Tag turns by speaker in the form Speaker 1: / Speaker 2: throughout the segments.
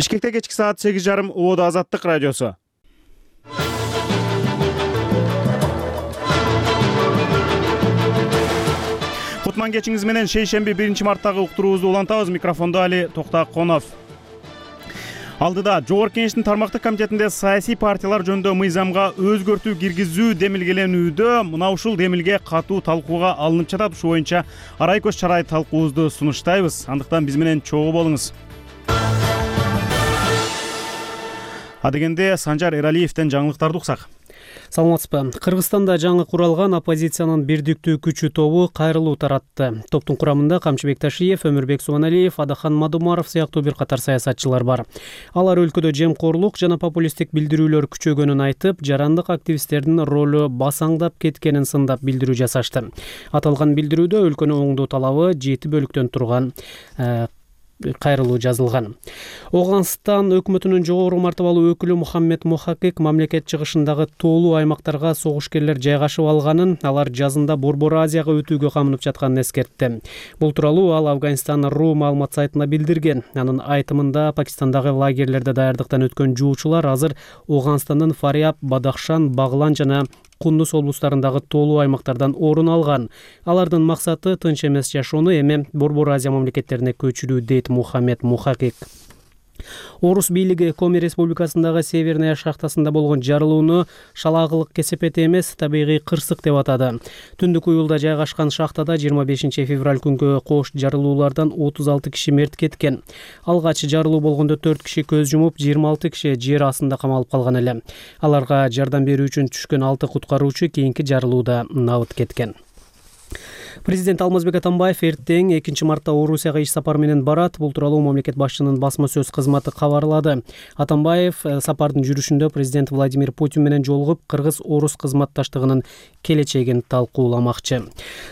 Speaker 1: Бишкекте кечки саат 8:30 Убада Азаттык радиосу. Кутман кечиңиз менен шейшемби 1-марттагы уктуруубузду улантабыз. Микрофондо Али Токтаконов. Алдыда Жогорку Кеңештин тармактык комитетинде саясий партиялар жөнүндө мыйзамга өзгөртүү киргизүү демилгеленүүдө. Мына ушул демилге катуу талкууга алынып жатат. Ушу боюнча арай көз чарай талкуубузду сунуштайбыз. Андыктан биз менен чогуу болуңуз. Адегенде Санжар Эралиевден жаңылыктарды уксак.
Speaker 2: Саламатсызбы. Кыргызстанда жаңы куралган оппозициянын бирдиктүү күчү тобу кайрылуу таратты. Топтун курамында Камчыбек Ташиев, Өмүрбек Субаналиев, Адахан Мадумаров сыяктуу бир катар саясатчылар бар. Алар өлкөдө жемкорлук жана популисттик билдирүүлөр күчөгөнүн айтып, жарандык активисттердин ролу басаңдап кеткенин сындап билдирүү жасашты. Аталган билдирүүдө өлкөнү оңдоо талабы 7 бөлүктөн турган кайрылуу жазылган. Оганстан өкмөтүнүн жогору мартабалуу өкүлү Мухаммед Мухакик мамлекет чыгышындагы тоолуу аймактарга согушкерлер жайгашып алганын, алар жазында Борбор Азияга өтүүгө камынып жатканын эскертти. Бул тууралуу ал Афганистан.ру маалымат сайтына билдирген. Анын айтымында Пакистандагы лагерлерде даярдыктан өткөн жуучулар азыр Оганстандын Фариаб, Бадахшан, Баглан жана Кундуз облустарындагы тоолуу аймактардан орун алган. Алардын максаты тынч эмес жашоону эми Борбор Азия мамлекеттерине көчүрүү, дейт Мухаммед Мухакик. Орус бийлиги Коми Республикасындагы Северная шахтасында болгон жарылууну шалаагылык кесепети эмес, табигый кырсык деп атады. Түндүк уюлда жайгашкан шахтада 25 февраль күнгө кош жарылуулардан 36 киши мерт кеткен. Алгач жарылуу болгондо 4 киши көз жумуп, 26 киши жер астында камалып калган эле. Аларга жардам берүү үчүн түшкөн 6 куткаруучу кийинки жарылууда набыт кеткен. Президент Алмазбек Атамбаев эртең 2-мартта Орусияга иш сапар менен барат. Бул тууралуу мамлекет башчынын басма сөз кызматы кабарлады. Атамбаев сапардын жүрүшүндө президент Владимир Путин менен жолугуп, кыргыз-орус кызматташтыгынын келечегин талкууламакчы.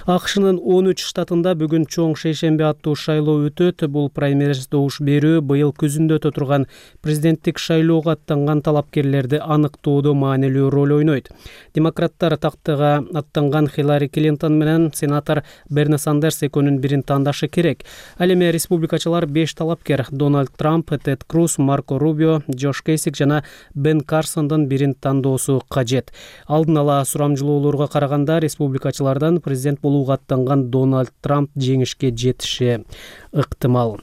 Speaker 2: АКШнын 13 штатында бүгүн чоң шейшемби аттуу шайлоо өтөт. Бул праймериз добуш берүү быйыл күзүндө өтө турган президенттик шайлоого аттанган талапкерлерди аныктоодо маанилүү роль ойнойт. Демократтар тактыга аттанган Хиллари Клинтон менен сенатор Берни Сандерс экөөнүн бирин тандашы керек. Ал эми республикачылар 5 талапкер Дональд Трамп, Тед Круз, Марко Рубио, Джош Кейсик жана Бен Карсондун бирин тандоосу кажет. Алдын ала сурамжылоолорго караганда республикачылардан президент болууга аттанган Дональд Трамп жеңишке жетиши ыктымал.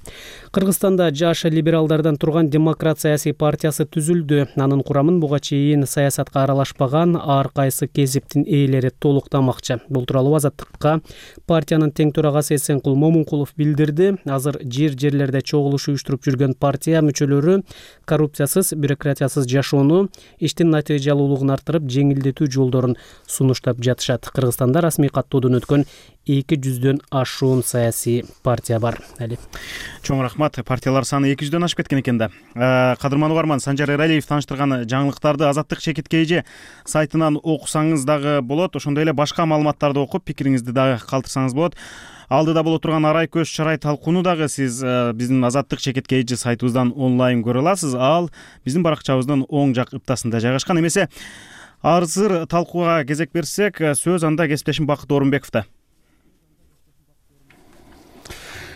Speaker 2: Кыргызстанда жаш либералдардан турган Демократ саясий партиясы түзүлдү. Анын курамын буга чейин саясатка аралашпаган ар кайсы кесиптин ээлери толуктамакчы. Бул тууралуу Азаттыкка партиянын тең төрагасы Эсенкул Момункулов билдирди. Азыр жерлерде чогулуш уюштуруп жүргөн партия мүчөлөрү коррупциясыз, бюрократиясыз жашоону, иштин натыйжалуулугун арттырып, жеңилдетүү жолдорун сунуштап жатышат. Кыргызстанда расмий каттоодон өткөн 200дөн ашуун саясий партия бар.
Speaker 1: Чоң рахмат. Партиялар саны 200дөн ашып кеткен экен да. Кадырман угарман, Санжар Эралиев таныштырган жаңылыктарды Азаттык ЧКТ сайтынан окусаңыз дагы болот. Ошондой эле башка маалыматтарды окуп, пикириңизди дагы калтырсаңыз болот. Алдыда боло турган арай көз чарай талкууну дагы сиз биздин Азаттык ЧКТ сайтыбыздан онлайн көрө аласыз. Ал биздин баракчабыздын оң жак ыптасында жайгашкан. Эмесе азыр талкууга кезек берсек, сөз анда кесиптешим Бакыт Орунбековдо.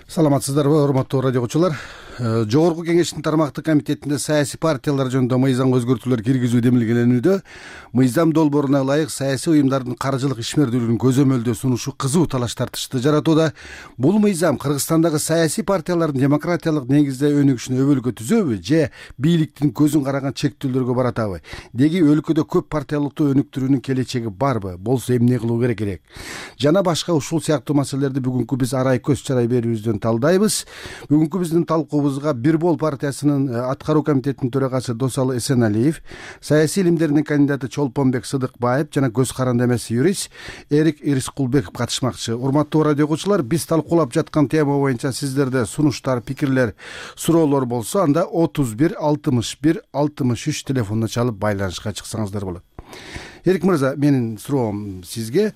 Speaker 3: Саламатсыздарбы, урматтуу радио окуучулар. Жогорку Кеңештин тармактык комитетинде саясий партиялар жөнүндө мыйзамга өзгөртүүлөр киргизүү демилгеленүүдө. Мыйзам долбооруна ылайык саясий уюмдардын каржылык ишмердүүлүгүн көзөмөлдөө сунушу кызуу талаш тартышты жаратууда. Бул мыйзам Кыргызстандагы саясий партиялардын демократиялык негизде өнүгүшүнө өбөлгө түзөбү же бийликтин көзүн караган чектөөлөргө баратабы? Деги өлкөдө көп партиялыктуу өнүктүрүүнүн келечеги барбы? Болсо эмне кылуу керек? Жана башка ушул сыяктуу маселелерди бүгүнкү биз арай көз чарай берүүбүздөн талдайбыз. Бүгүнкү биздин талкуубузга Бир Бол партиясынын аткаруу комитетинин төрагасы Досалы Эсеналиев, саясий илимдердин кандидаты Чолпонбек Сыдыкбаев жана көз каранды эмес юрист Эрик Ирискулбеков катышмакчы. Урматтуу радио окуучулар, биз талкуулап жаткан тема боюнча сиздерде сунуштар, пикирлер, суроолор болсо, анда 31 61 63 телефонуна чалып байланышка чыксаңыздар болот. Эрик мырза, менин суроом сизге.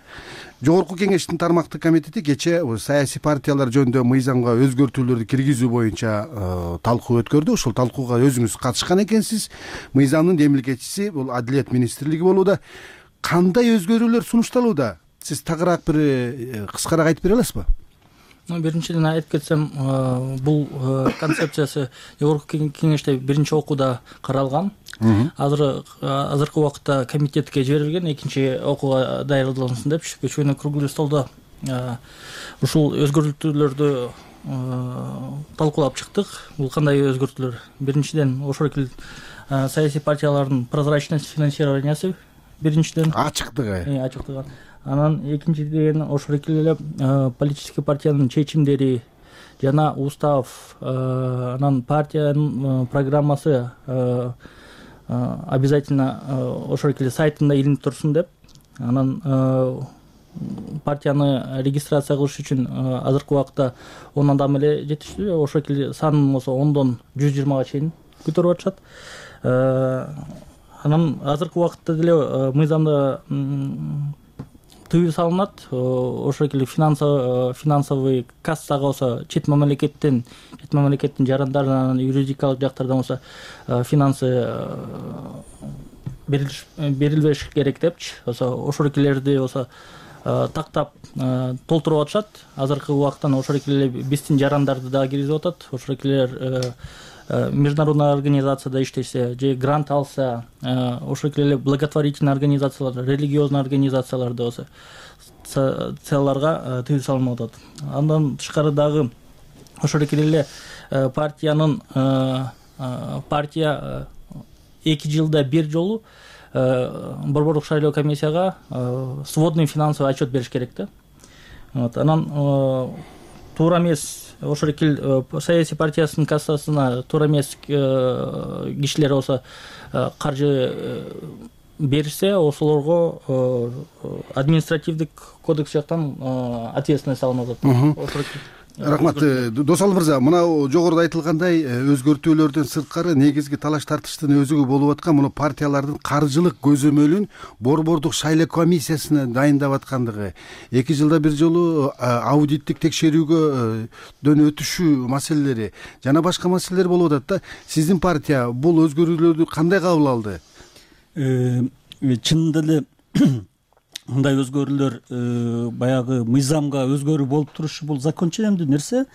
Speaker 3: Жогорку Кеңештин тармактык комитети кечээ саясий партиялар жөнүндө мыйзамга өзгөртүүлөрдү киргизүү боюнча талкуу өткөрдү. Ушул талкууга өзүңүз катышкан экенсиз. Мыйзамдын демилгечиси бул Адилет министрлиги болууда. Кандай өзгөрүүлөр сунушталууда? Сиз тагыраак бир кыскараак айтып бере аласызбы?
Speaker 4: Биринчиден айтып кетсем, бул концепциясы жогорку кеңеште биринчи окууда каралган. Азыркы убакытта комитетке жиберилген, экинчи окууга даярдалынсын деп көчкөнү круглый столдо ушул өзгөртүүлөрдү талкуулап чыктык. Бул кандай өзгөртүүлөр? Биринчиден ошол эле саясий партиялардын прозрачность финансированиясы биринчиден, ачыктыгы. Анан экинчиден ошол эле политический партиянын чечимдери жана устав, анан партиянын программасы обязательно ошол эле сайтында илинип турсун деп. Анан партияны регистрация кылыш үчүн азыркы убакытта 10 адам эле жетиштүү. Ошол эле санын болсо 10дон 120га чейин көтөрүп атышат. Анан азыркы убакытта деле мыйзамда тыюу салынат. Ошол эле финансовый кассага болсо чет мамлекеттин жарандарынан, юридикалык жактардан болсо финансы берилбеш керек депчи. Ошол элерди болсо тактап толтуруп атышат. Азыркы убакыттан ошол эле биздин жарандарды да киргизип атат. Ошол элер международный организацияда иштесе же грант алса, ошол эле благотворительный организациялар, религиозный организацияларда болсо целларга тыюу салынып атат. Андан тышкары дагы ошол эле партия 2 жылда 1 жолу борбордук шайлоо комиссияга сводный финансовый отчет бериш керек да. Анан туура эмес ошол эле саясий партиясынын кассасына туура эмес кишилер болсо каржы берсе, ошолорго административдик кодекс жактан ответственность салынып атат.
Speaker 3: Рахмат. Досалы мырза, мына жогоруда айтылгандай өзгөртүүлөрдөн сырткары негизги талаш тартыштын өзүгү болуп аткан муну партиялардын каржылык көзөмөлүн борбордук шайлоо комиссиясына дайындап аткандыгы, 2 жылда 1 жолу аудиттик текшерүүгөдөн өтүшүү маселелери жана башка маселелер болуп атат да. Сиздин партия бул өзгөрүүлөрдү кандай кабыл алды?
Speaker 5: Чынында эле мындай өзгөрүүлөр баягы мыйзамга өзгөрүү болуп турушу бул закон ченемдүү нерсе.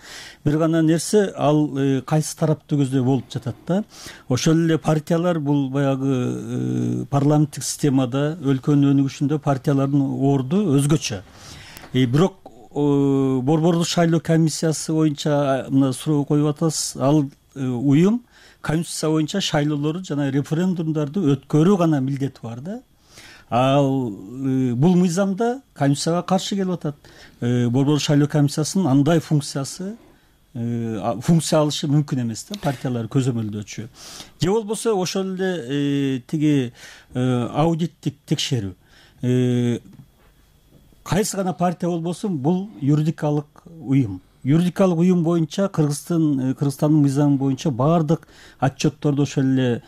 Speaker 5: Бир гана нерсе ал кайсы тарапты көздөй болуп жатат да. Ошол эле партиялар бул баягы парламенттик системада өлкөнүн өнүгүшүндө партиялардын орду өзгөчө. Бирок борбордук шайлоо комиссиясы боюнча мына суроо коюп атасыз. Ал уюм конституция боюнча шайлоолорду жана референдумдарды өткөрүү гана милдети бар да. Ал бул мыйзамда конституцияга каршы келип атат. Борбордук шайлоо комиссиясынын андай функция алышы мүмкүн эмес да, партиялар көзөмөлдөөчү. Же болбосо ошол эле тиги аудиттик текшерүү. Кайсы гана партия болбосун бул юридикалык уюм. Юридикалык уюм боюнча Кыргызстандын мыйзамы боюнча баардык отчетторду ошол эле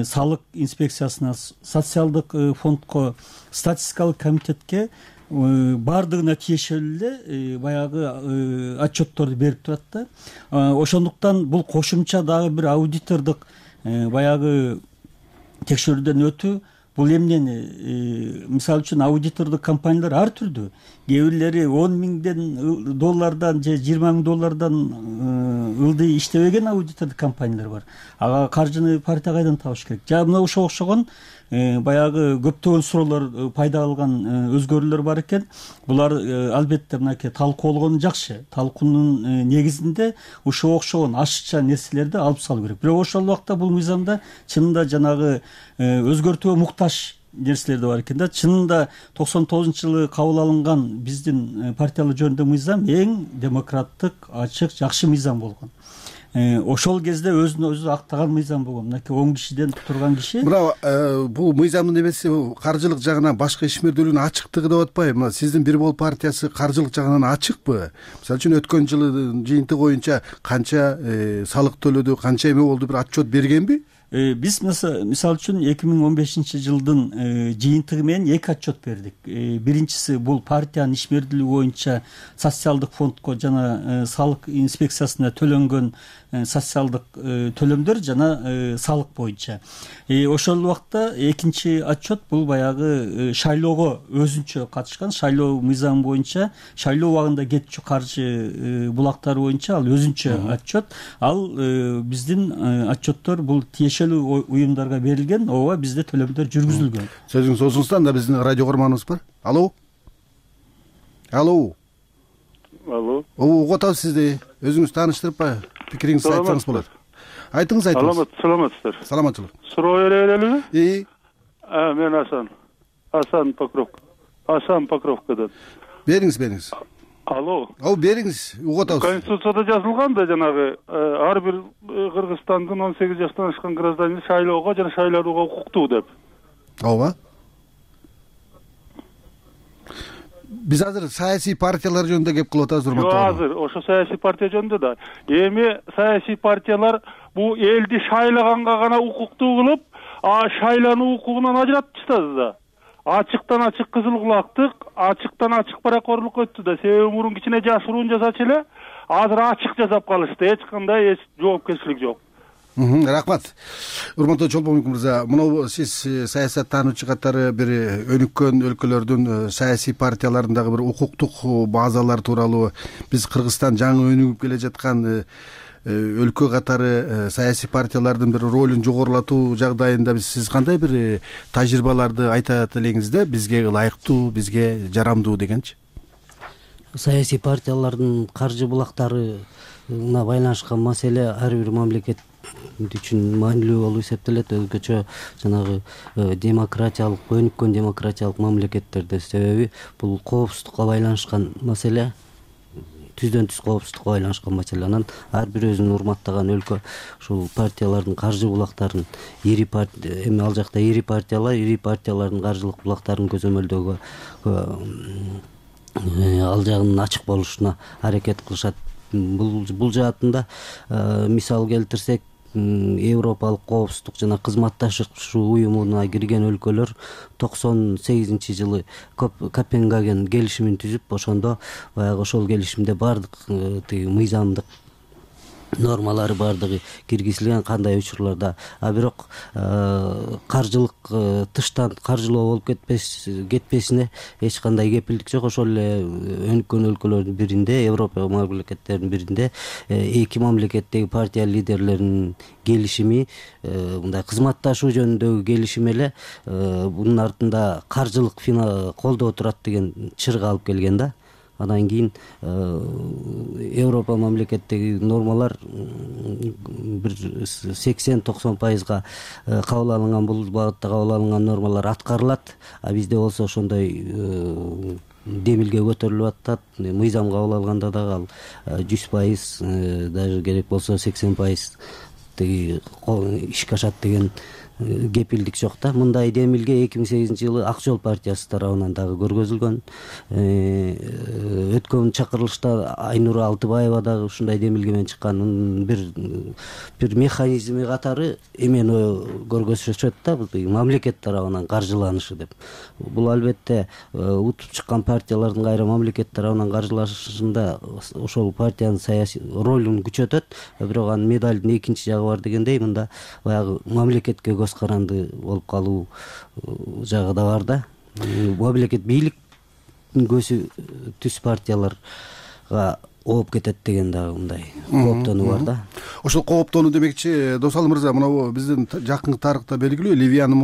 Speaker 5: салык инспекциясына, социалдык фондко, статистикалык комитетке баардыгына тиешелүү эле баягы отчетторду берип турат да. Ошондуктан бул кошумча дагы бир аудитордук баягы текшерүүдөн өтүү. Бул эмнени, мисалы үчүн аудитордук компаниялар ар түрдүү. Кээ бирлери $10,000 же $20,000 ылдый иштебеген аудитордук компаниялар бар. Ага каржыны партия кайдан табыш керек? Жана мына ошого окшогон баягы көптөгөн суроолор пайда алган өзгөрүүлөр бар экен. Булар албетте мынакей талкууланганы жакшы. Талкуунун негизинде ушуга окшогон ашыкча нерселерди алып салуу керек. Бирок ошол убакта бул мыйзамда чынында жанагы өзгөртүүгө муктаж нерселер да бар экен да. Чынында 99-жылы кабыл алынган биздин партиялар жөнүндө мыйзам эң демократтык, ачык, жакшы мыйзам болгон. Ошол кезде өзүн өзү актаган мыйзам болгон. Мынакей 10 кишиден турган киши.
Speaker 3: Бирок бул мыйзамдын эмеси каржылык жагынан башка ишмердүүлүгүнүн ачыктыгы деп атпайбы? Мына сиздин Бир Бол партиясы каржылык жагынан ачыкпы? Мисалы үчүн өткөн жылы жыйынтык боюнча канча салык төлөдү, канча эме болду, бир отчет бергенби?
Speaker 5: Биз мисалы үчүн 2015-жылдын жыйынтыгы менен 2 отчет бердик. Биринчиси бул партиянын ишмердүүлүгү боюнча социалдык фондко жана салык инспекциясына төлөнгөн социалдык төлөмдөр жана салык боюнча. Ошол убакта экинчи отчет бул баягы шайлоого өзүнчө катышкан шайлоо мыйзамы боюнча шайлоо убагында кетчү каржы булактары боюнча ал өзүнчө отчет. Ал биздин отчеттор бул тиешелүү уюмдарга берилген, ооба бизде төлөмдөр жүргүзүлгөн.
Speaker 3: Сөзүңүз созуңузда, анда биздин радио көрманыбыз бар. Алло. Алло. Угуп атабыз сизди. Өзүңүз тааныштырып пикириңизди айтсаңыз болот. Айтыңыз.
Speaker 6: Саламатсыздар.
Speaker 3: Саламатчылык.
Speaker 6: Суроо бере берелиби? Мен Асан Покровкадан.
Speaker 3: Бериңиз.
Speaker 6: Алло.
Speaker 3: Бериңиз. Угуп атабыз.
Speaker 6: Конституцияда жазылган да жанагы ар бир Кыргызстандын 18 жаштан ашкан гражданин шайлоого жана шайланууга укуктуу деп.
Speaker 3: Ооба. Биз азыр саясий партиялар жөнүндө кеп кылып атабыз, урматтуу.
Speaker 6: Азыр ошо саясий партия жөнүндө да. Эми саясий партиялар бул элди шайлаганга гана укуктуу кылып, шайлануу укугунан ажыратып таштады да. Ачыктан ачык кызыл кулактык, ачыктан ачык паракорлук өттү да. Себеби мурун кичине жашыруун жасачу эле, азыр ачык жасап калышты. Эч кандай жоопкерчилик жок.
Speaker 3: Рахмат. Урматтуу Чолпонбек мырза, мына сиз саясаттануучу катары бир өнүккөн өлкөлөрдүн саясий партияларындагы бир укуктук базалар тууралуу, биз Кыргызстан жаңы өнүгүп келе жаткан өлкө катары саясий партиялардын бир ролун жогорулатуу жагдайында сиз кандай бир тажрыйбаларды айтат элеңиз да, бизге ылайыктуу, бизге жарамдуу дегенчи?
Speaker 7: Саясий партиялардын каржы булактарына байланышкан маселе ар бир мамлекет үчүн маанилүү болуп эсептелет, өзгөчө жанагы демократиялык, өнүккөн демократиялык мамлекеттерде. Себеби бул коопсуздукка байланышкан маселе, түздөн түз коопсуздукка байланышкан маселе. Анан ар бир өзүн урматтаган өлкө ушул партиялардын каржы булактарын эми ал жакта ири партиялардын каржылык булактарын көзөмөлдөөгө ал жагынын ачык болушуна аракет кылышат. Бул жаатында мисал келтирсек, Европалык коопсуздук жана кызматташуу уюмуна кирген өлкөлөр 98-жылы Копенгаген келишимин түзүп, ошондо баягы ошол келишимде бардык мыйзамдык нормалары бардыгы киргизилген, кандай учурларда. Бирок каржылык тыштан каржылоо болуп кетпесине эч кандай кепилдик жок. Ошол эле өнүккөн өлкөлөрдүн биринде, Европа мамлекеттеринин биринде эки мамлекеттеги партия лидерлеринин келишими, мындай кызматташуу жөнүндөгү келишим эле бунун артында каржылык колдоо турат деген чырга алып келген да. Андан кийин Европа мамлекеттеги нормалар бир 80-90% кабыл алынган, бул багытта кабыл алынган нормалар аткарылат. Бизде болсо ошондой демилге көтөрүлүп атат. Мыйзам кабыл алганда дагы ал 100%, даже керек болсо 80% ишке ашат деген кепилдик жок да. Мындай демилге 2008-жылы Ак Жол партиясы тарабынан дагы көргөзүлгөн. Өткөн чакырылышта Айнура Алтыбаева дагы ушундай демилге менен чыккан. Бир механизми катары эмени көргөзүшөт да, мамлекет тарабынан каржыланышы деп. Бул албетте утуп чыккан партиялардын кайра мамлекет тарабынан каржылашында ошол партиянын саясий ролун күчөтөт. Бирок анын медалдын экинчи жагы бар дегендей, мында баягы мамлекетке көз каранды болуп калуу жагы да бар да. Мамлекет бийликтин көзү түз партияларга ооп кетет деген дагы мындай кооптонуу бар да.
Speaker 3: Ошол кооптонуу демекчи, Досалы мырза, мына биздин жакынкы тарыхта белгилүү Ливиянын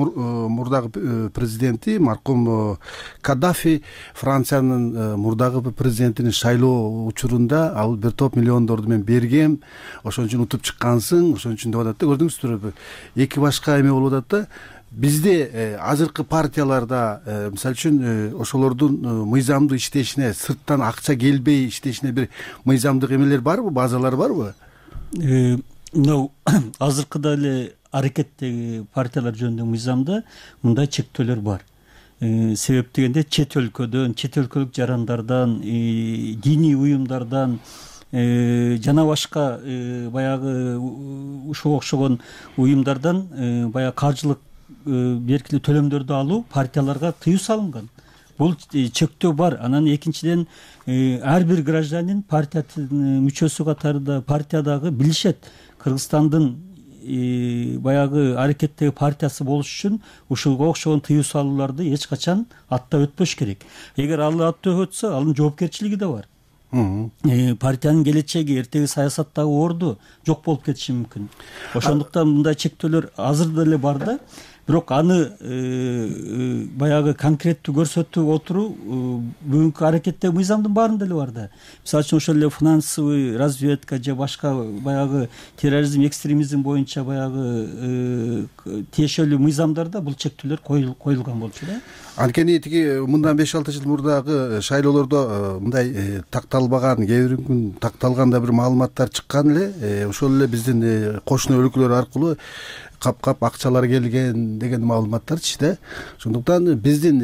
Speaker 3: мурдагы президенти маркум Каддафи Франциянын мурдагы президентинин шайлоо учурунда ал бир топ миллиондорду мен бергем, ошон үчүн утуп чыккансың, ошон үчүн деп атат да. Көрдүңүздүр, эки башка эме болуп атат да. Бизде азыркы партияларда мисалы үчүн ошолордун мыйзамдуу иштешине, сырттан акча келбей иштешине бир мыйзамдык эмелер барбы, базалар барбы?
Speaker 5: Азыркыда эле аракеттеги партиялар жөнүндө мыйзамда мындай чектөөлөр бар. Себеп дегенде чет өлкөдөн, чет өлкөлүк жарандардан, диний уюмдардан жана башка баягы ушуга окшогон уюмдардан баягы каржылык беркилүү төлөмдөрдү алуу партияларга тыюу салынган. бул чектөө бар. Анан экинчиден ар бир гражданин партиянын мүчөсү катарында партиядагы билишет Кыргызстандын баягы аракеттеги партиясы болуш үчүн ушуга окшогон тыюу салууларды эч качан аттап өтпөш керек. Эгер ал аттап өтсө анын жоопкерчилиги да бар. Партиянын келечеги, эртеги саясаттагы орду жок болуп кетиши мүмкүн. Ошондуктан мындай чектөөлөр азыр деле бар да, бирок аны баягы конкреттүү көрсөтүп отуруу бүгүнкү аракеттеги мыйзамдын баарында деле бар да. Мисалы үчүн ошол эле финансовый разведка же башка баягы терроризм, экстремизм боюнча баягы тиешелүү мыйзамдарда бул чектөөлөр коюлган болчу да.
Speaker 3: Анткени тиги мындан 5-6 жыл мурдагы шайлоолордо мындай такталбаган, кээ бир күн такталган да бир маалыматтар чыккан эле. Ошол эле биздин кошуна өлкөлөр аркылуу кап акчалар келген деген маалыматтарчы да. Ошондуктан биздин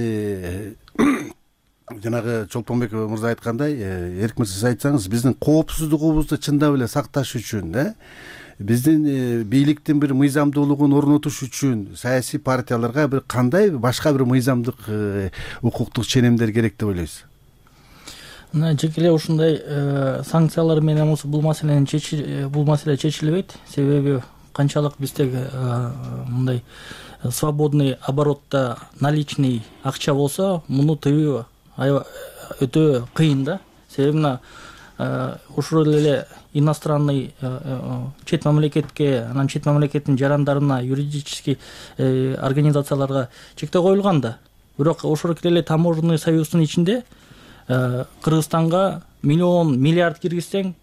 Speaker 3: жанагы Чолпонбек мырза айткандай, Эрик мырза сиз айтсаңыз, биздин коопсуздугубузду чындап эле сакташ үчүн да, биздин бийликтин бир мыйзамдуулугун орнотуш үчүн саясий партияларга бир кандай башка бир мыйзамдык укуктук ченемдер керек деп ойлойсуз?
Speaker 4: Жеке эле ушундай санкциялар менен бул маселе чечилбейт. Себеби канчалык биздеги мындай свободный оборотто наличный акча болсо, муну тыюу өтө кыйын да. Себеби мына ушул эле иностранный чет мамлекетке, анан чет мамлекеттин жарандарына, юридический организацияларга чектөө коюлган да. Бирок ошол эле таможенный союздун ичинде Кыргызстанга миллиард киргизсең,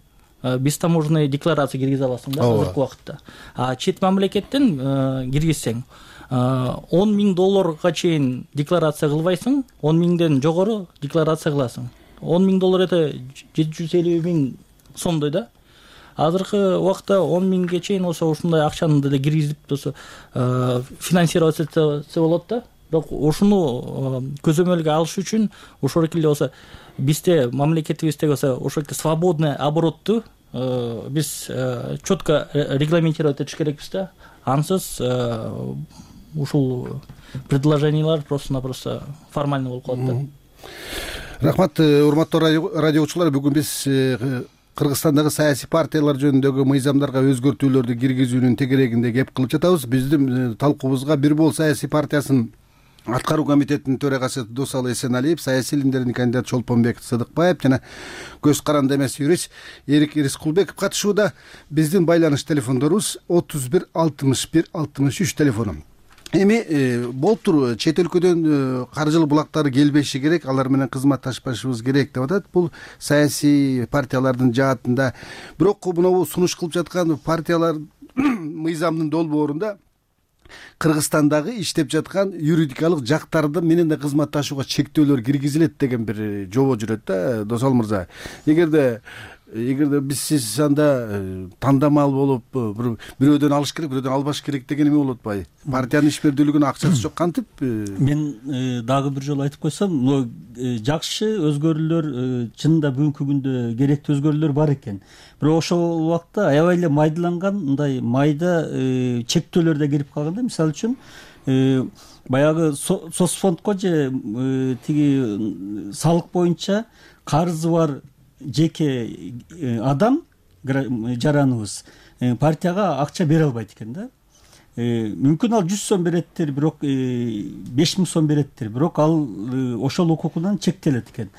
Speaker 4: биз таможенный декларация киргизе аласың да азыркы убакытта. А чет мамлекеттен киргизсең, $10,000 чейин декларация кылбайсың, 10,000ден жогору декларация кыласың. $10,000 это 750 000 сомдой да. Азыркы убакта 10,000ге чейин ошундай акчаны деле киргизип финансировать этсе болот да. Бирок ушуну көзөмөлгө алыш үчүн ошол эле бизде мамлекетибиздеги ошол свободный оборотту биз четко регламентировать этиш керекпиз да. Ансыз ушул предложениялар просто-напросто формально болуп калат да.
Speaker 3: Рахмат, урматтуу радиочулар. Бүгүн биз Кыргызстандагы саясий партиялар жөнүндөгү мыйзамдарга өзгөртүүлөрдү киргизүүнүн тегерегинде кеп кылып жатабыз. Биздин талкуубузга Бир Бол саясий партиясынын аткаруу комитетинин төрагасы Досалы Эсеналиев, саясий илимдердин кандидаты Чолпонбек Сыдыкбаев жана көз каранды эмес юрист Эрик Рыскулбеков катышууда. Биздин байланыш телефондорубуз 31 61 63 телефону. Эми болуптур, чет өлкөдөн каржылык булактары келбеши керек, алар менен кызматташпашыбыз керек деп атат. Бул саясий партиялардын жаатында. Бирок мына сунуш кылып жаткан партиялар мыйзамдын долбоорунда Кыргызстандагы иштеп жаткан юридикалык жактарды менен да кызматташууга чектөөлөр киргизилет деген бир жобо жүрөт да, Досал мырза. Эгерде биз сиз анда тандамал болуп бирөөдөн алыш керек, бирөөдөн албаш керек деген эме болуп атпайбы? Партиянын ишмердүүлүгүнө акчасы жок кантип?
Speaker 5: Мен дагы бир жолу айтып койсом, жакшы өзгөрүүлөр чынында бүгүнкү күндө керектүү өзгөрүүлөр бар экен. Бирок ошол убакта аябай эле майдаланган, мындай майда чектөөлөр да кирип калган да. Мисалы үчүн баягы соцфондко же тиги салык боюнча карызы бар жеке адам, жараныбыз партияга акча бере албайт экен да. Мүмкүн ал 100 сом береттир, бирок 5,000 сом береттир, бирок ал ошол укугунан чектелет экен.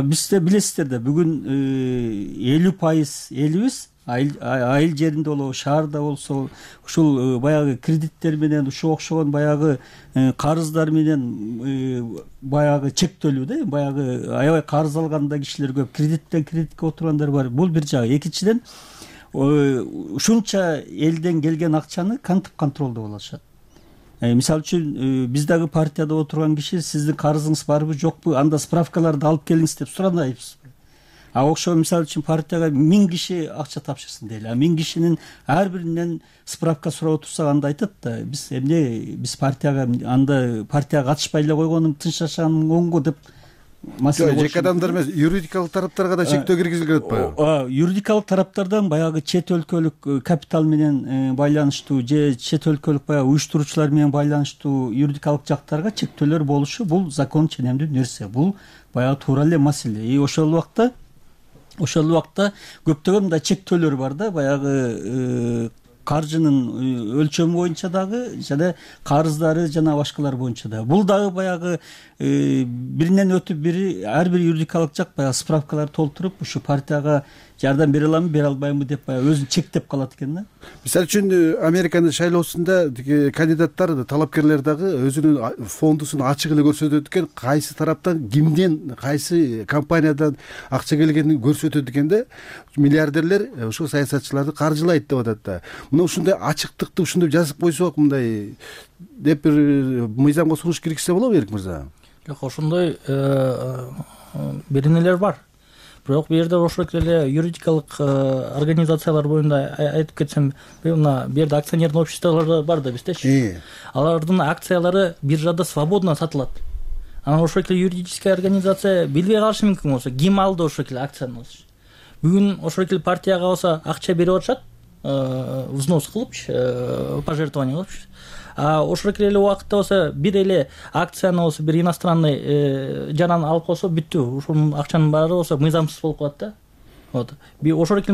Speaker 5: Бизде билесиздер да, бүгүн 50% элибиз айыл жеринде болобу, шаарда болсо, ушул баягы кредиттер менен, ушуга окшогон баягы карыздар менен баягы чектөлүү да. Баягы аябай карыз алган да кишилер көп, кредиттен кредитке отургандар бар. Бул бир жагы. Экинчиден, ушунча элден келген акчаны кантип контролдоп алышат? Мисалы үчүн биз дагы партияда отурган киши сиздин карызыңыз барбы, жокпу, анда справкаларды алып келиңиз деп суранайбыз. Окшогон мисалы үчүн партияга 1000 киши акча тапшырсын дейли. 1000 кишинин ар биринен справка сурап отурсак анда айтат да, биз эмне, биз партияга анда партияга катышпай эле койгонум тынч жашаганым оңго деп маселе
Speaker 3: жеке адамдар эмес, юридикалык тараптарга да чектөө киргизилген атпайбы?
Speaker 5: Юридикалык тараптардан баягы чет өлкөлүк капитал менен байланыштуу же чет өлкөлүк баягы уюштуруучулар менен байланыштуу юридикалык жактарга чектөөлөр болушу бул закон ченемдүү нерсе, бул баягы туура эле маселе. Ошол убакта көптөгөн мындай чектөөлөр бар да, баягы каржынын өлчөмү боюнча дагы жана карыздары жана башкалар боюнча да. Бул дагы баягы биринен өтүп бири ар бир юридикалык жак баягы справкаларды толтуруп ушу партияга жардам бере аламбы, бере албайбы деп баягы өзүн чектеп калат экен да.
Speaker 3: Мисалы үчүн Американын шайлоосунда кандидаттар, талапкерлер дагы өзүнүн фондусун ачык эле көрсөтөт экен, кайсы тараптан, кимден, кайсы компаниядан акча келгенин көрсөтөт экен да. Миллиардерлер ушул саясатчыларды каржылайт деп атат да. Мына ушундай ачыктыкты ушундай жазып койсок, мындай деп бир мыйзамга сунуш киргизсе болобу, Эрик мырза?
Speaker 4: Жок, ошондой беренелер бар. Бирок бул жерде ошол эле юридикалык организациялар боюнда айтып кетсем, мына бул жерде акционерный обществолор бар да биздечи. Алардын акциялары биржада свободно сатылат. Анан ошол эле юридическая организация билбей калышы мүмкүн болсо, ким алды ошол эле акцияны. Бүгүн ошол эле партияга болсо акча берип атышат, взнос кылыпчы, пожертвование кылыпчы. Ошол эле убакытта болсо бир эле акцияны болсо бир иностранный жаран алып койсо бүттү. Ушунун акчанын баары болсо мыйзамсыз болуп калат да. Вот. Ошол эле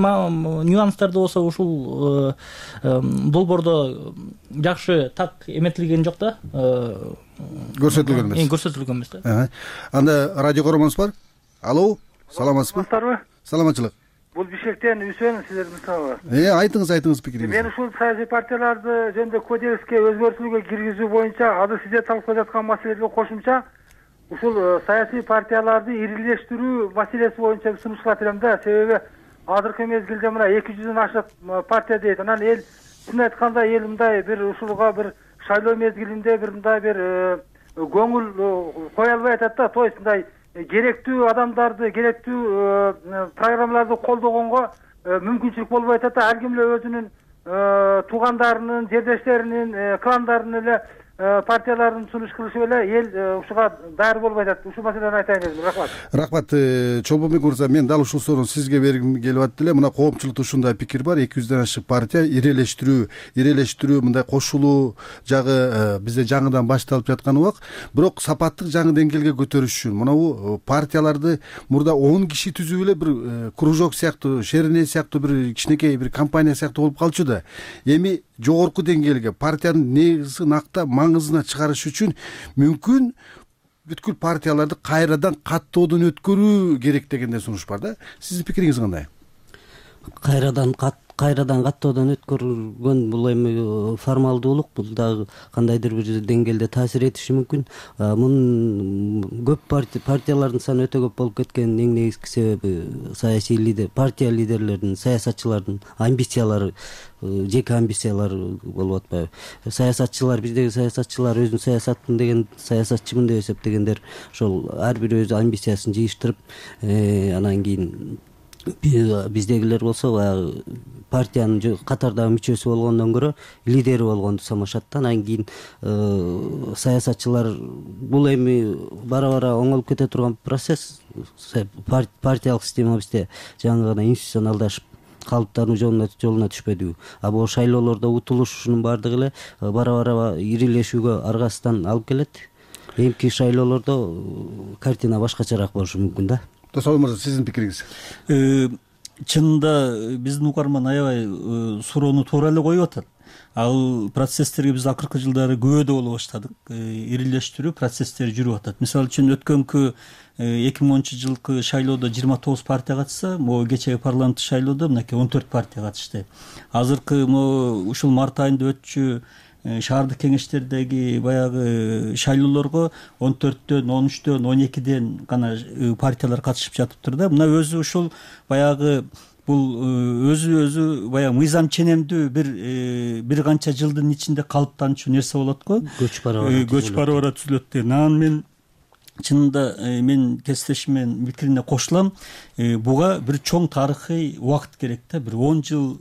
Speaker 4: нюанстарды болсо ушул долбоордо жакшы так эметилген жок да.
Speaker 3: Көрсөтүлгөн эмес.
Speaker 4: Көрсөтүлгөн эмес да.
Speaker 3: Анда радио көрөрмөнүз бар. Алло, саламатсызбы? Саламатчылык.
Speaker 8: Бул Бишкектен Үсен, силердин сабы.
Speaker 3: Айтыңыз пикириңизди.
Speaker 8: Мен ушул саясий партияларды жөнүндө кодекске өзгөртүүлгө киргизүү боюнча азыр сиздер талкуулап жаткан маселелерге кошумча ушул саясий партияларды ирилештирүү маселеси боюнча сунуш кылат элем да. Себеби азыркы мезгилде мына 200дөн ашык партия дейт. Анан эл, чын айтканда, эл мындай бир ушулга бир шайлоо мезгилинде бир мындай бир көңүл кое албай атат да. То есть мындай керектүү адамдарды, керектүү программаларды колдогонго мүмкүнчүлүк болбой атат да. Ар ким эле өзүнүн туугандарынын, жердештеринин, кландарынын эле партияларын сунуш кылышып эле эл ушуга даяр болбой атат. Ушул маселени айтайын дедим. Рахмат.
Speaker 3: Рахмат, Чолбонбек мырза, мен дал ушул суроону сизге бергим келип атты эле. Мына коомчулукта ушундай пикир бар, 200дөн ашык партия ирелештирүү мындай кошулуу жагы бизде жаңыдан башталып жаткан убак. Бирок сапаттык жаңы деңгээлге көтөрүш үчүн мына партияларды мурда 10 киши түзүп эле бир кружок сыяктуу, шерене сыяктуу бир кичинекей бир компания сыяктуу болуп калчу да. Эми жогорку деңгээлге партиянын негизин актап маңызына чыгарыш үчүн мүмкүн бүткүл партияларды кайрадан каттоодон өткөрүү керек дегенде сунуш бар да. Сиздин пикириңиз кандай?
Speaker 7: Кайрадан каттоодон өткөргөн бул эми формалдуулук, бул дагы кандайдыр бир деңгээлде таасир этиши мүмкүн. Мунун көп партиялардын саны өтө көп болуп кеткенин эң негизги себеби саясий лидер, партия лидерлеринин, саясатчылардын амбициялары, жеке амбициялары болуп атпайбы. Биздеги саясатчылар өзүн саясаттын деген, саясатчымын деп эсептегендер ошол ар бири өз амбициясын жыйыштырып, анан кийин биздегилер болсо баягы партиянын катардагы мүчөсү болгондон көрө лидери болгонду самашат да. Анан кийин саясатчылар, бул эми бара оңолуп кете турган процесс. Партиялык система бизде жаңы гана институционалдашып калыптануу жолуна түшпөдүбү. Бул шайлоолордо утулуш, ушунун баардыгы эле бара ирилешүүгө аргасыздан алып келет. Эмки шайлоолордо картина башкачараак болушу мүмкүн да.
Speaker 3: Досол мырза, сиздин пикириңиз?
Speaker 5: Чынында биздин угарман аябай суроону туура эле коюп атат. Ал процесстерге биз акыркы жылдары күбөдө боло баштадык. Ирилештирүү процесстери жүрүп атат. Мисалы үчүн өткөнкү 2010 жылкы шайлоодо 29 партия катышса, могу кечеги парламенттик шайлоодо мынакей 14 партия катышты. Азыркы ушул март айында өтчү шаардык кеңештердеги баягы шайлоолорго 14дөн, 13дөн, 12ден гана партиялар катышып жатыптыр да. Мына өзү ушул баягы бул өзү баягы мыйзам ченемдүү бир канча жылдын ичинде калыптанчу нерсе болот го. Көч бара түзүлөт дейм. Анан мен чынында мен кесиптешимдин пикирине кошулам. Буга бир чоң тарыхый убакыт керек да. Бир 10 жыл,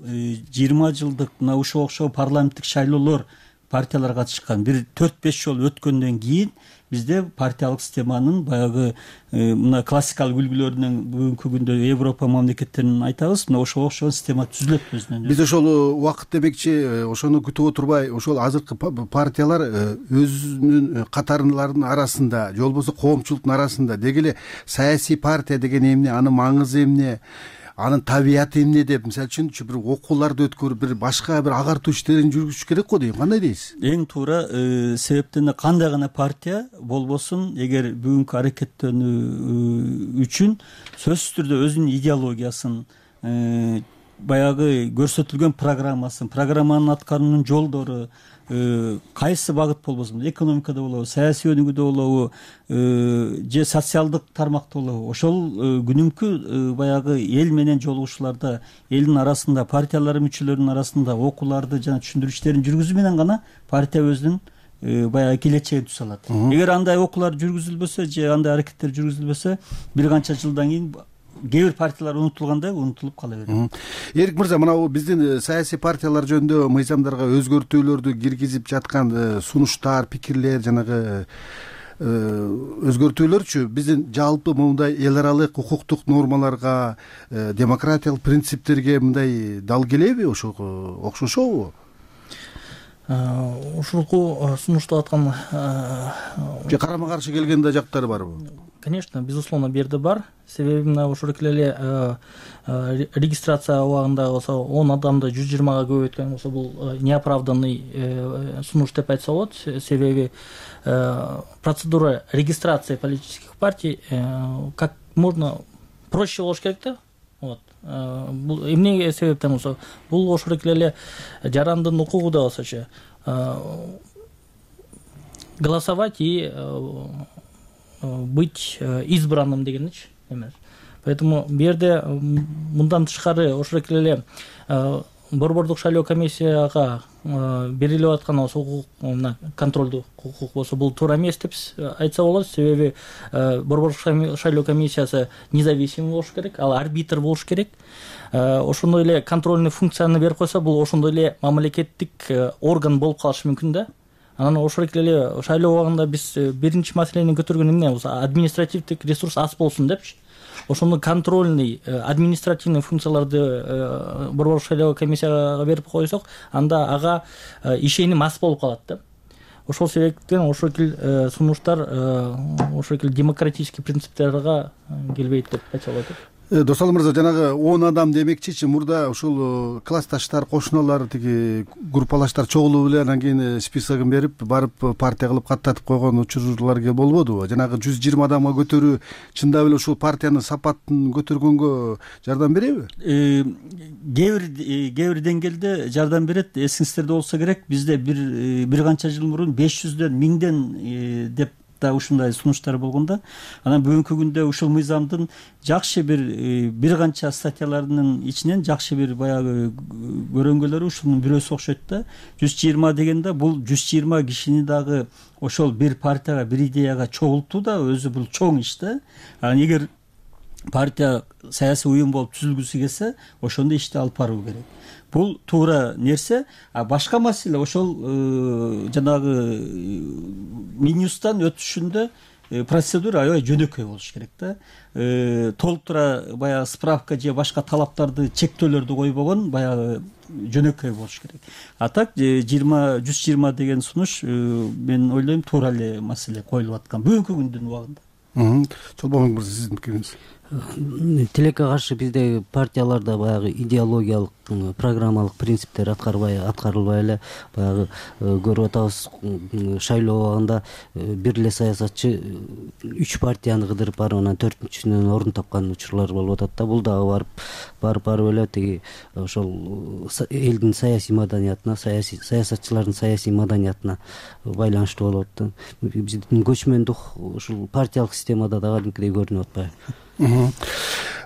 Speaker 5: 20 жылдык мына ушуга окшогон парламенттик шайлоолор партиялар катышкан. Бир 4-5 жол өткөндөн кийин бизде партиялык системанын баягы мына классикалык үлгүлөрүнөн бүгүнкү күндө Европа мамлекеттерин айтабыз, мына ошого окшогон система түзүлөт өзүнөн.
Speaker 3: Биз ошол убакыт демекчи, ошону күтүп отурбай, ошол азыркы партиялар өзүнүн катарларынын арасында же болбосо коомчулуктун арасында деги эле саясий партия деген эмне, анын маңызы эмне, анын табияты эмне деп, мисалы үчүнчү бир окууларды өткөрүп, бир башка бир агартуу иштерин жүргүзүш керек го дейм. Кандай дейсиз?
Speaker 5: Эң туура, себептен кандай гана партия болбосун, эгер бүгүнкү аракеттенүү үчүн сөзсүз түрдө өзүнүн идеологиясын, баягы көрсөтүлгөн программасын, программанын аткаруунун жолдору, кайсы багыт болбосун, экономикада болобу, саясий өнүгүүдө болобу, же социалдык тармакта болобу, ошол күнүмкү баягы эл менен жолугушууларда, элдин арасында, партиялардын мүчөлөрүнүн арасында окууларды жана түшүндүрүү иштерин жүргүзүү менен гана партия өзүнүн баягы келечегин түзө алат. Эгер андай окуулар жүргүзүлбөсө же андай аракеттер жүргүзүлбөсө, бир канча жылдан кийин кээ бир партиялар унутулгандай унутулуп кала берет.
Speaker 3: Эрик мырза, мына биздин саясий партиялар жөнүндө мыйзамдарга өзгөртүүлөрдү киргизип жаткан сунуштар, пикирлер, жанагы өзгөртүүлөрчү биздин жалпы мындай эл аралык укуктук нормаларга, демократиялык принциптерге мындай дал келеби, ошого окшошобу?
Speaker 4: Ушулку сунуштап аткан
Speaker 3: же карама каршы келген да жактары барбы?
Speaker 4: Конечно, безусловно, бул жерде бар. Себеби мына ошол эле регистрация убагында болсо 10 адамды 120га көбөйткөн болсо, бул неоправданный сунуш деп айтса болот. Себеби процедура регистрации политических партий как можно проще болуш керек да. Вот. Бул эмне себептен болсо, бул ошол эле жарандын укугу да болсочу голосовать и быть избранным дегеничи эмес. Поэтому бул жерде мындан тышкары ошол эле борбордук шайлоо комиссияга берилип аткан болсо контролдук укук болсо, бул туура эмес деп айтса болот. Себеби борбордук шайлоо комиссиясы независимый болуш керек, ал арбитр болуш керек. Ошондой эле контрольный функцияны берип койсо, бул ошондой эле мамлекеттик орган болуп калышы мүмкүн да. Анан ошол эле шайлоо убагында биз биринчи маселени көтөргөн эмне болсо, административдик ресурс аз болсун депчи. Ошондо контрольный, административный функцияларды борбордук шайлоо комиссияга берип койсок, анда ага ишеним аз болуп калат да. Ошол себептен ошол сунуштар ошол демократический принциптерге келбейт деп айтса болот.
Speaker 3: Досалы мырза, жанагы 10 адам демекчичи, мурда ушул классташтар, кошуналар, тиги группалаштар чогулуп эле анан кийин списогун берип, барып партия кылып каттатып койгон учурлар болбодубу? Жанагы 120 адамга көтөрүү чындап эле ушул партиянын сапатын көтөргөнгө жардам береби?
Speaker 5: Кээ бир деңгээлде жардам берет. Эсиңиздерде болсо керек, бизде бир канча жыл мурун 500дөн 1000ден деп ушундай сунуштар болгондо, анан бүгүнкү күндө ушул мыйзамдын жакшы бир канча статьяларынын ичинен жакшы бир баягы көрөнгөлөрү ушунун бирөөсү окшойт да. 120 дегенде бул 120 кишини дагы ошол бир партияга, бир идеяга чогултуу да өзү бул чоң иш да. Анан эгер партия саясий уюм болуп түзүлгүсү келсе, ошондой ишти алып баруу керек. Бул туура нерсе. Башка маселе ошол жанагы минюстан өтүшүндө процедура аябай жөнөкөй болуш керек да. Толуктура баягы справка же башка талаптарды, чектөөлөрдү койбогон баягы жөнөкөй болуш керек. А так 120 деген сунуш мен ойлойм туура эле маселе коюлуп аткан бүгүнкү күндүн убагында.
Speaker 3: Чолбонбек мырза, сиздин пикириңиз?
Speaker 7: Тилекке каршы бизде партияларда баягы идеологиялык, программалык принциптер аткарылбай эле баягы көрүп атабыз. Шайлоо убагында бир эле саясатчы 3 партияны кыдырып барып, анан 4-үчүнөн орун тапкан учурлар болуп атат да. Бул дагы барып эле тиги ошол элдин саясий маданиятына, саясатчылардын саясий маданиятына байланыштуу болуп атат да. Биздин көчмөндүк ушул партиялык системада да кадимкидей көрүнүп атпайбы?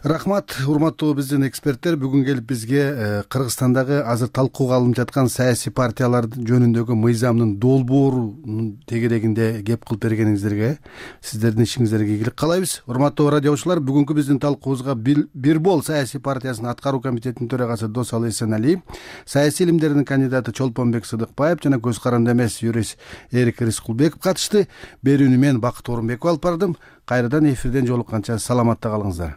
Speaker 3: Рахмат, урматтуу биздин эксперттер. Бүгүн келип бизге Кыргызстандагы азыр талкууга алынып жаткан саясий партиялар жөнүндөгү мыйзамдын долбоорунун тегерегинде кеп кылып бергениңиздерге, сиздердин ишиңиздерге ийгилик каалайбыз. Урматтуу радио угуучулар, бүгүнкү биздин талкуубузга Бир бол саясий партиясынын аткаруу комитетинин төрагасы Досалы Эсеналиев, саясий илимдердин кандидаты Чолпонбек Сыдыкбаев жана көз каранды эмес юрист Эрик Рыскулбеков катышты. Берүүнү мен Бакыт Орунбеков алып бардым. Кайрадан эфирден жолукканча саламатта калыңыздар.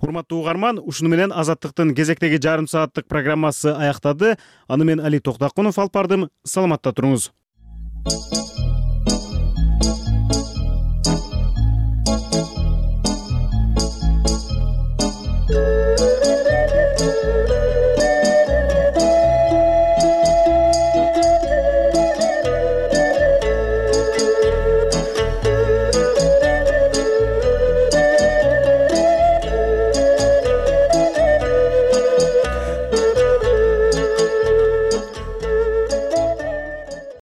Speaker 1: Урматтуу угарман, ушуну менен Азаттыктын кезектеги жарым сааттык программасы аяктады. Аны мен Али Токтакунов алып бардым. Саламатта туруңуз.